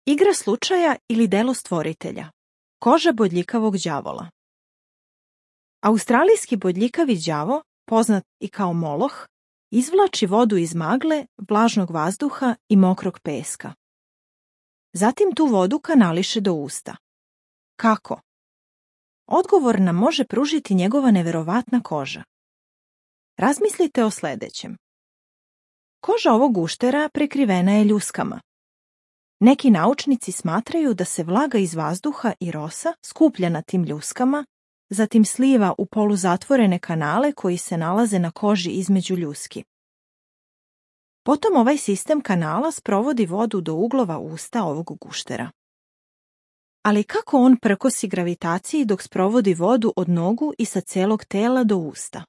Igra slučaja ili delo stvoritelja. Koža bodljikavog đavola. Australijski bodljikavi đavo, poznat i kao moloh, izvlači vodu iz magle, vlažnog vazduha i mokrog peska. Zatim tu vodu kanališe do usta. Kako? Odgovor nam može pružiti njegova neverovatna koža. Razmislite o sljedećem. Koža ovog guštera prekrivena je ljuskama. Neki naučnici smatraju da se vlaga iz vazduha i rosa skuplja na tim ljuskama, zatim sliva u poluzatvorene kanale koji se nalaze na koži između ljuski. Potom ovaj sistem kanala sprovodi vodu do uglova usta ovog guštera. Ali kako on prkosi gravitaciji dok sprovodi vodu od nogu i sa celog tela do usta?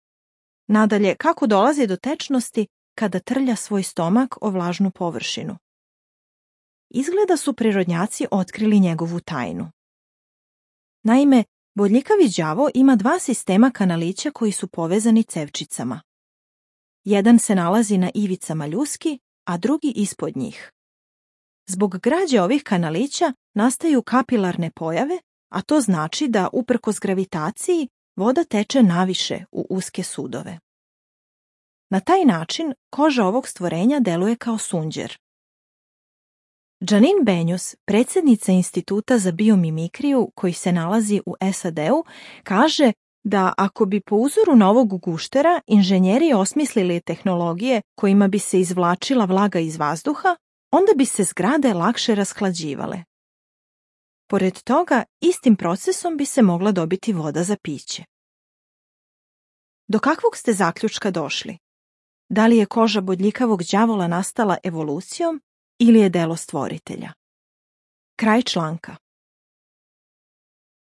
Nadalje, kako dolazi do tečnosti kada trlja svoj stomak o vlažnu površinu? Izgleda su prirodnjaci otkrili njegovu tajnu. Naime, bodljikavi đavo ima dva sistema kanalića koji su povezani cevčicama. Jedan se nalazi na ivicama ljuski, a drugi ispod njih. Zbog građe ovih kanalića nastaju kapilarne pojave, a to znači da, uprkos gravitaciji, voda teče naviše u uske sudove. Na taj način koža ovog stvorenja deluje kao sunđer. Janine Benyus, predsjednica Instituta za biomimikriju koji se nalazi u SAD-u, kaže da ako bi po uzoru na ovog guštera inženjeri osmislili tehnologije kojima bi se izvlačila vlaga iz vazduha, onda bi se zgrade lakše rashlađivale. Pored toga, istim procesom bi se mogla dobiti voda za piće. Do kakvog ste zaključka došli? Da li je koža bodljikavog đavola nastala evolucijom ili je delo stvoritelja? Kraj članka.